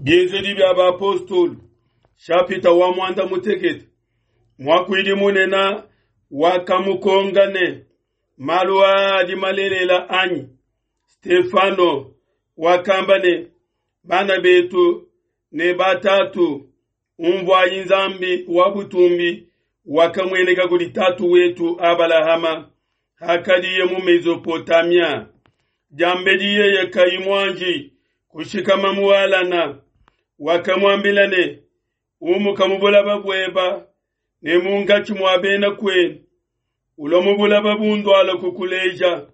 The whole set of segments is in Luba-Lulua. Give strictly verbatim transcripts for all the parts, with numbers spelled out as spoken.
Bienzedi bia bapostolo shapita wa muanda mutekete. Muakuidi munene wakamukonka ne, malu aa adi malelela anyi? Stefano wakamba ne, bana betu ne batatu, umvuayi Nzambi wa butumbi wakamueneka kudi tatu wetu Abalahama hakadiye mu Mesopotamia, diambedi yeye kayi muanji kushikama mu Halana. Wakamuambila ne, umuka mu bulaba bueba ne munkatshi mua bena kuenu, ulua mu bulaba bunduala kukuleja.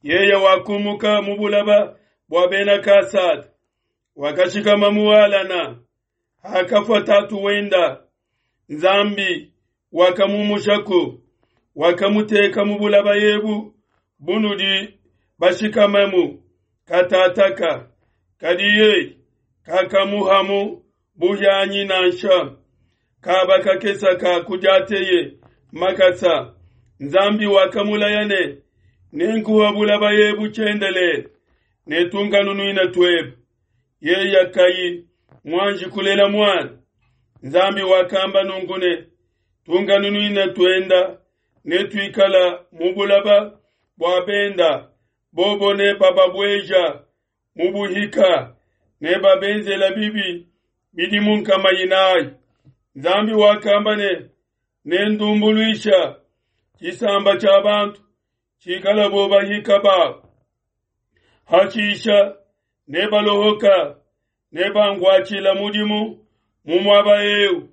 Yeye wakumuka mu bulaba bua bena Kasada, wakashikama mu Halana. Hakafua tatu wenda, Nzambi wakamumushaku, wakamuteka mu bulaba ebu bunudi bashikamamu katataka. Kadi yeye kakamuhamu buhianyi nansha kaba kakesa ka kudiateye makasa. Nzambi wakamulaya ne, nenkuha bulaba ebu tshiendelele ne tunkanunuina tuebe. Yeye kayi muanji kulela muana. Nzambi wakamba nunku ne, tunkanunuina tuenda ne tuikala mu bulaba bua benda, bobo ne bababueja mu buhika ne babenzela bibi bidimu nkama inayi. Nzambi wakamba ne, nendumbuluisha tshisamba tshia bantu tshikala bo bahika babo. Hashisha ne balohoka ne banguatshila mudimu mu muaba eu.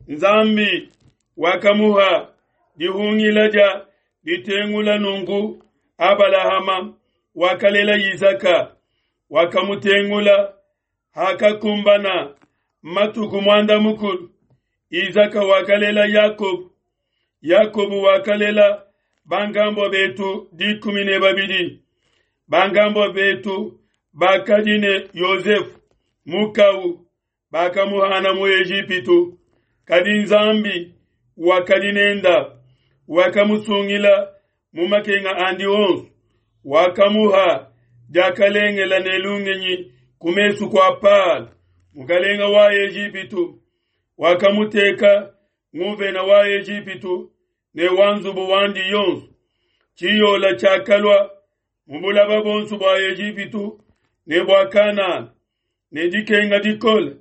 Nzambi wakamuha dihungila dia ditengula nunku Abalahama wakalela Isaka, wakamutengula hakakumbana matuku muanda mukulu. Isaka wakalela Yakobo, Yakobo wakalela bangambo betu dikumi ne babidi. Bangambo betu bakadi ne Yosefu mukau, bakamuhana mu Ejipitu. Kadi Nzambi wakadi nenda, wakamusungila mu makenga andi onso, wakamuha diakalengela ne lungenyi ku mesu kua Palo mukalenga wa Ejipitu, wakamuteka nguvena wa Ejipitu ne wa nzubu wandi yonso. Tshiyola tshiakalua mu bulaba bonso bua Ejipitu ne bua Kanana ne dikenga dikole.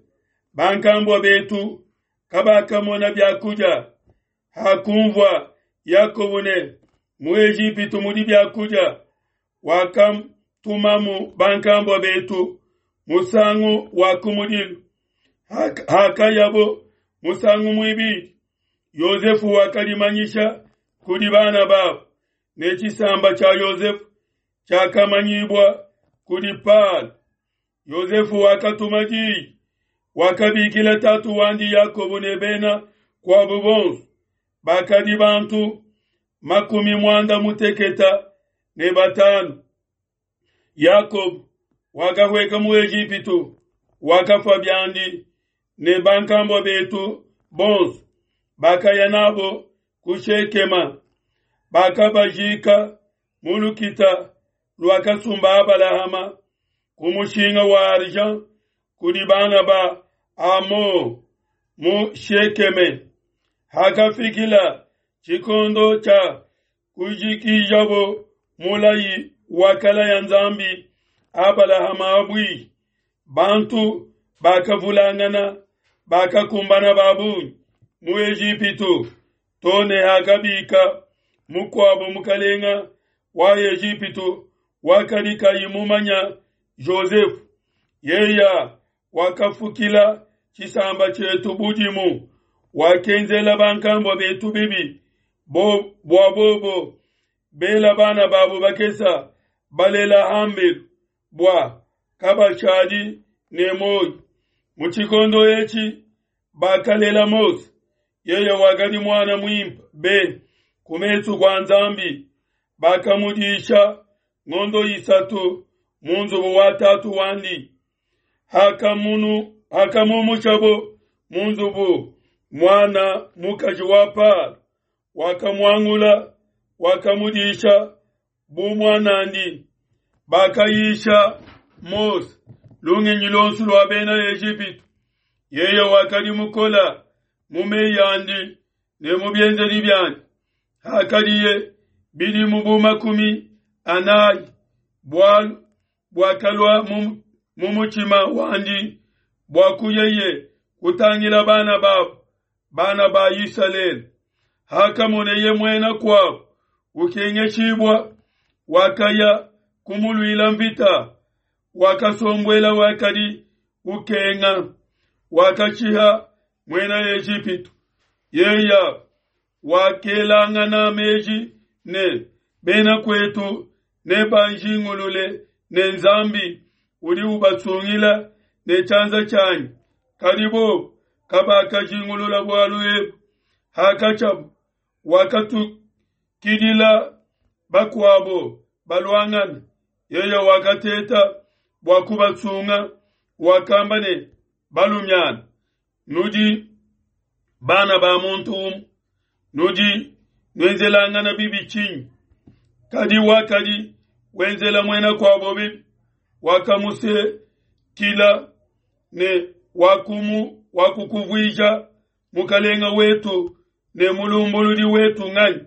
Bankambua betu kabakamona biakudia. Hakumvua Yakobo ne mu Ejipitu mudi biakudia, wakamtumamu bankambua betu musangu wa kumudilu. Hakayabo musangu muibidi, Yosefu wakalimanyisha kudi bana babo, ne tshisamba tshia Yosefu tshiakamanyibua kudi Palo. Yosefu wakatuma diyi, wakabikila tatu wandi Yakobo ne bena kuabo bonso, bakadi bantu makumi muanda muteketa ne batanu. Yakobo wakahweka mu Ejipitu, wakafua biandi ne bankambua betu bonso, bakaya nabo ku Shekema, bakabajika mu lukita luakasumba Abalahama ku mushinga wa argent kudi bana ba Amo mu Shekeme. Hakafikila tshikondo tshia kujikijabo mulayi wakalaya Nzambi Abalahama abui, bantu bakavulangana bakakumbana babungi mu Ejipitu, tone hakabika mukuabo mukalenga wa Ejipitu wakadi kayi mumanya Josefu. Yeya wakafukila tshisamba tshietu budimu, wakenzela bankambua betu bibi bo bua bobo bela bana babo bakesa balela hambelu bua kabashadi ne moyo. Mu tshikondo etshi bakalela Mose, yeye wakadi mwana muimpe be ku mesu kua Nzambi. Bakamudisha ngondo isatu mu nzubu wa tatu wandi. Hakamunu hakamumushabo mu nzubu, mwana mukaji wa Palo wakamuangula, wakamudisha bu mwanandi. Bakayisha Mose lungenyi luonso lua bena Ejipitu. Yeye wakadi mukola mu meyi andi ne mu bienzedi biandi. Hakadiye bidimu bu makumi anayi, bualu buakalua mu mutshima wandi bua kuyeye kutangila bana babo, bana ba Isalele. Hakamoneye muena kuabo ukengeshibua, wakaya kumuluila mvita, wakasombuela wakadi ukenga, wakashiha muena Ejipitu. Yeye wakelangana meji ne bena kwetu ne banjingulule ne Nzambi udi ubasungila ne tshianza tshianyi. Kadi bobo kabakajingulula bualu ebu. Hakatshiabu wakatukidila bakuabo baluangana, yeye wakateta bua kubasunga, wakamba ne, balumiana, nudi bana ba muntu umue, nudi nuenzelangana bibi tshinyi? Kadi wakadi wenzela muena kuabo bibi, wakamusekila ne wakumu wakukuvuija mukalenga wetu ne mulumbuludi wetu nganyi?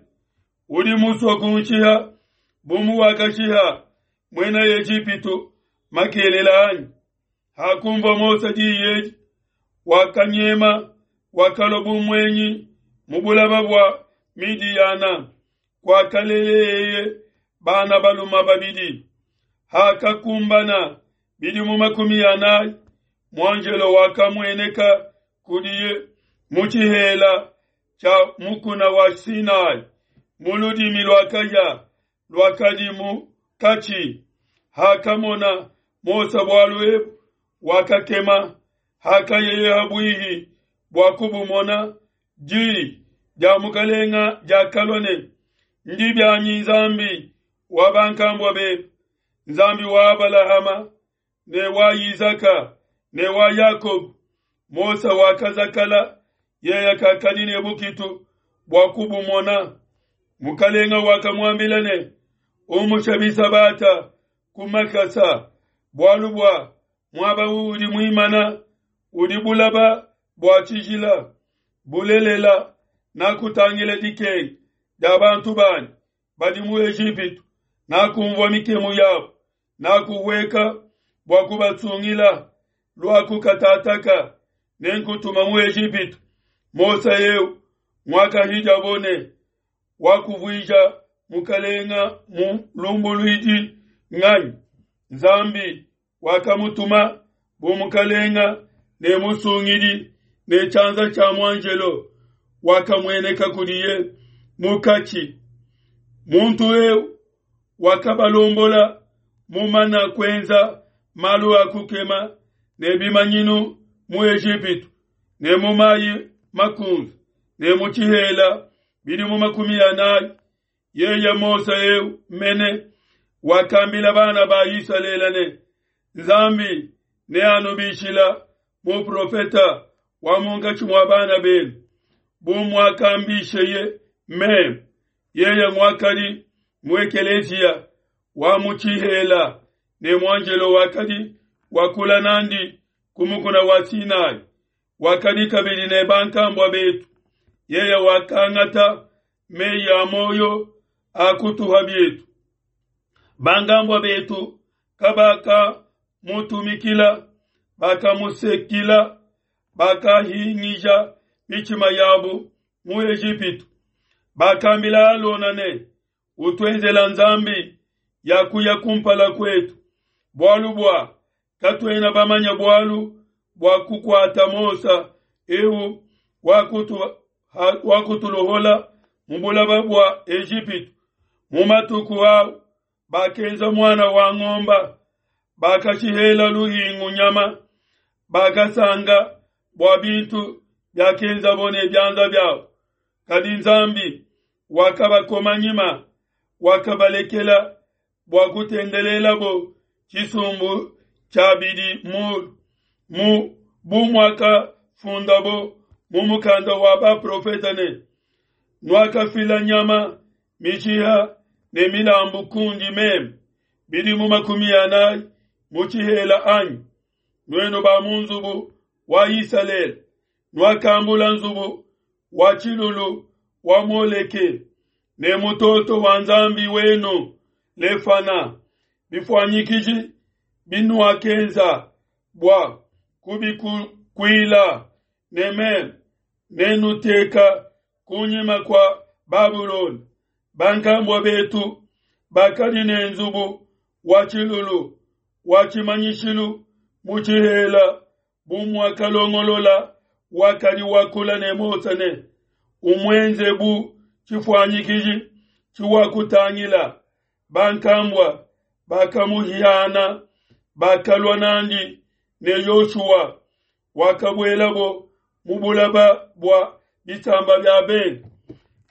Udi musue kunshiha bu muwakashiha muena Ejipitu makelela anyi? Hakumvua Mose diyi edi, wakanyema, wakalua bu muenyi mu bulaba bua Midiyana, kuakaleleye bana baluma babidi. Hakakumbana bidimu makumi anayi, muanjelo wakamueneka kudiye mu tshihela tshia mukuna wa Sinai, mu ludimi lua kahia luakadi mu katshi. Hakamona Mose bualu ebu, wakakema. Hakayeye habuihi bua kubumona, diyi dia mukalenga diakalua ne, ndi bianyi Nzambi wa bankambua bebe, Nzambi wa Abalahama ne wa Isaka ne wa Yakobo. Mose wakazakala, yeye kakadi ne bukitu bua kubumona. Mukalenga wakamuambila ne, umusha bisabata ku makasa, bualu bua muaba udi muimana udi bulaba bua tshijila. Bulelela nakutangila dikenga dia bantu banyi badi mu Ejipitu, nakumvua mikemu yabo, nakuhueka bua kubatsungila. Luakukatataka nenkutuma mu Ejipitu. Mose eu mwakahijabo ne wakuvuija mukalenga mulumbuluidi nganyi? Nzambi wakamutuma bu mukalenga ne musungidi ne tshianza tshia muanjelo wakamueneka kudiye mukatshi. Muntu eu wakabalombola mumana kuenza malu a kukema ne bimanyinu mu Ejipitu ne mu mayi makunze ne mu tshihela bidimu makumi anayi. Yeye Mose eu mene wakambila bana ba Isalele ne, Nzambi neanubishila muprofeta wa munkatshi mua bana benu, bu muakambisheye meme. Yeye muakadi mu ekeleziya wa mu tshihela ne muanjelo wakadi wakula nandi ku mukuna wa Sinai, wakadi kabidi ne bankambua betu. Yeye wakangata meyi a moyo akutuha bietu. Bankambua betu kabaka mutumikila, bakamusekila, bakahingija mitshima yabo mu Ejipitu. Bakambila Alona ne, utuenzela Nzambi ya kuya kumpala kwetu, bualu bua katuena bamanya bualu bua kukuata Mose eu wakutulohola mu bulaba bua Ejipitu. Mu matuku au bakenza mwana wa ng'omba, bakashihela luhingu nyama, bakasanga bua bintu byakenzabo ne byanza byabo. Kadi Nzambi wakabakoma nyima, wakabalekela bua kutendelelabo tshisumbu tshia bidi mu mu bu muakafundabo mu mukanda wa baprofeta ne, nuakafila nyama mishiha ne milambu kundi meme bidimu makumi anayi mu tshihela anyi? Nuenu ba mu nzubu wa Isalele, nuakambula nzubu wa tshilulu wa Moleke ne mutoto wa nzambi wenu Lefana, bifuanyikiji binuakenza bua kubikukuila, ne meme nenuteka kunyima kua Babulona. Bankambua betu bakadi ne nzubu wa tshilulu wa tshimanyishilu mu tshihela, bu muakalongolola wakadi wakula ne Mose ne umuenze bu tshifuanyikiji tshiwakutangila. Bankambua bakamuhiana, bakalua nandi ne Yoshua, wakabuelabo mu bulaba bua bisamba bia bende.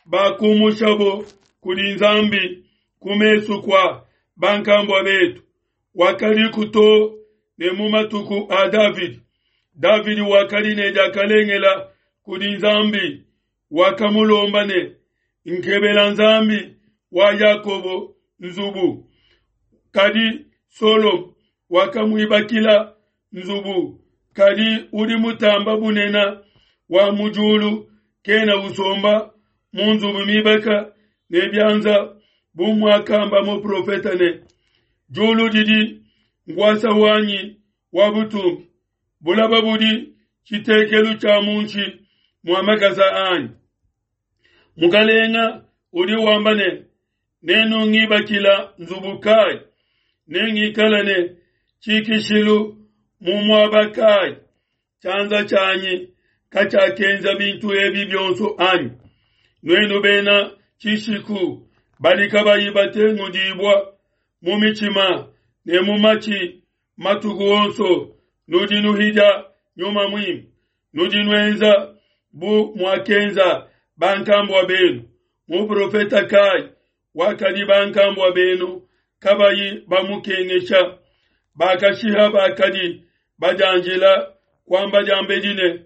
Bakumushabo kudi Nzambi ku mesu kua bankambua betu, wakadiku too ne mu matuku a Davidi. Davidi wakadi ne diakalengela kudi Nzambi, wakamulomba ne, nkebela Nzambi wa Yakobo nzubu. Kadi Solomo wakamuibakila nzubu, kadi udi mutamba bunena wa mu diulu kena usomba mu nzubu mibaka ne bianza, bu muakamba muprofeta ne, diulu didi nkuasa wanyi wa butumbi, bulaba budi tshitekelu tshia munshi mua makasa anyi. Mukalenga udi wamba ne, nenungibakila nzubu kai, nengikala ne tshikishilu mu muaba kai? Tshianza tshianyi katshiakenza bintu ebi bionso anyi? Nuenu bena tshishiku badi kabayi batengudibua mu mitshima ne mu matshi matuku onso, nudi nuhidia Nyuma Muimpe, nudi nuenza bu muakenza bankambua benu. Muprofeta kai wakadi bankambua benu kabayi bamukengesha? Bakashiha bakadi badianjila kuamba diambedi ne,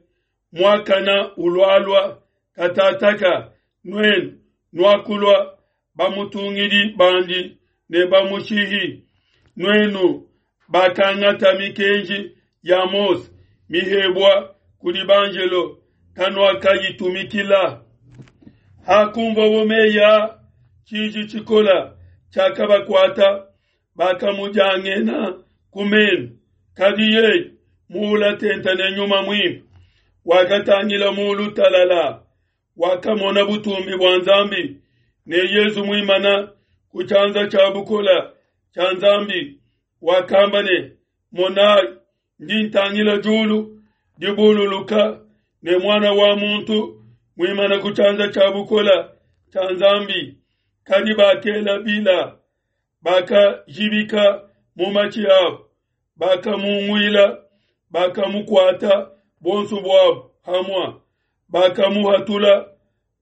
muakana ulualua. Katataka nuenu nuakulua bamutungidi bandi ne bamushihi. Nuenu bakangata mikenji ya Mose mihebua kudi banjelo, kanuakayitumikila. Hakumvua meyi a, tshiji tshikola tshiakabakuata, bakamudiangena ku menu. Kadi yeye muula tenta ne Nyuma Muimpe, wakatangila mulu talala, wakamona butumbi bua Nzambi ne Yezu muimana ku tshianza tshia bukola tshia Nzambi. Wakamba ne, monayi, ndi ntangila diulu dibululuka ne muana wa muntu muimana ku tshianza tshia bukola tshia Nzambi. Kadi bakela bila, bakajibika mu matshi abo, bakamunguila, bakamukuata bonso buabo hamua, bakamuhatula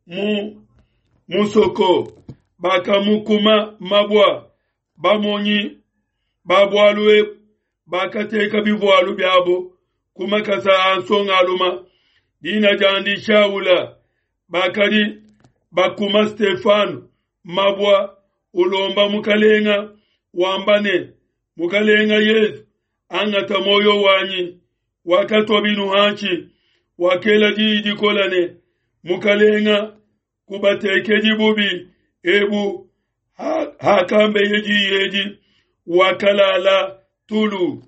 mu musoko, bakamukuma mabua. Bamonyi ba bualu ebu bakateka bivualu biabo ku makasa a nsongaluma, dina diandi Shaula. Bakadi bakuma Stefano mabua, ulomba mukalenga wamba ne, Mukalenga Yesu, angata moyo wanyi. Wakatua binu hanshi, wakela diyi dikola ne, Mukalenga, kubatekedi bubi ebu. Hakambeye diyi edi, wakalala tulu.